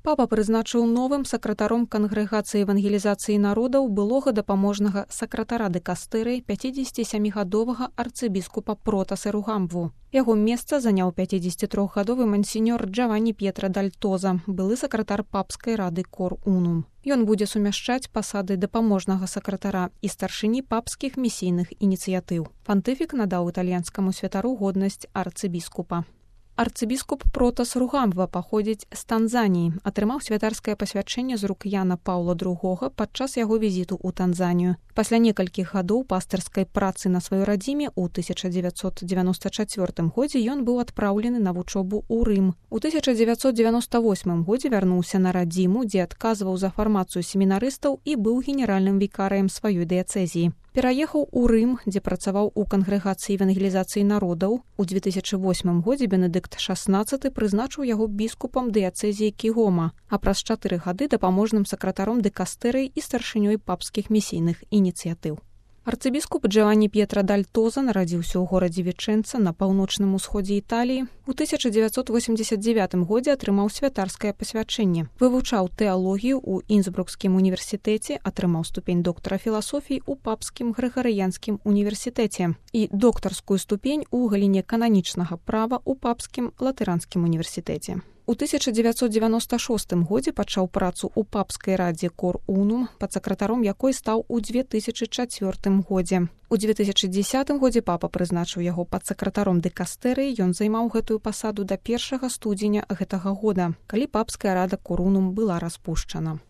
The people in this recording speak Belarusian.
Папа прызначыў новым сакратаром кангрэгацыі евангелізацыі народаў былога дапаможнага сакратара дыкастэрыі 57-гадовага арцыбіскупа Протаса Ругамбву. Яго месца заняў 53-гадовы мансіньор Джаванні П'етра Дальтоза, былы сакратар папскай рады Кор Унум. Ён будзе сумяшчаць пасады дапаможнага сакратара і старшыні папскіх місійных ініцыятыў. Пантыфік надаў італьянскаму святару годнасць арцыбіскупа. Арцыбіскуп Протас Ругамбва паходзіць з Танзаніі, атрымаў святарскае пасвячэнне з рук Яна Паўла II падчас яго візіту ў Танзанію. Пасля некалькіх гадоў пастырскай працы на сваёй радзіме ў 1994 годзе ён быў адпраўлены на вучобу ў Рым. У 1998 годзе вярнуўся на радзіму, дзе адказваў за фармацыю семінарыстаў і быў генеральным вікарыем сваёй дыяцэзіі. Пераехаў у Рым, дзе працаваў у кангрэгацыі евангелізацыі народаў. У 2008 годзе Бенедыкт XVI прызначыў яго біскупам дыяцэзіі Кігома, а праз 4 гады дапаможным сакратаром дыкастэрыі і старшынёй папскіх місійных ініцыятыў. Арцыбіскуп Джаванні П'етра Дальтоза нарадзіўся ў горадзе Вічэнца на паўночным усходзе Італіі. У 1989 годзе атрымаў святарскае пасвячэнне. Вывучаў тэалогію ў Інсбрукскім універсітэце, атрымаў ступень доктара філасофіі ў Папскім Грыгарыянскім універсітэце і доктарскую ступень у галіне кананічнага права ў Папскім Латыранскім універсітэце. У 1996 годзе пачаў працу ў папскай радзе Кор Унум, падсакратаром якой стаў у 2004 годзе. У 2010 годзе папа прызначыў яго падсакратаром дыкастэрыі, ён займаў гэтую пасаду да 1 студзеня гэтага года, калі папская рада Кор Унум была распушчана.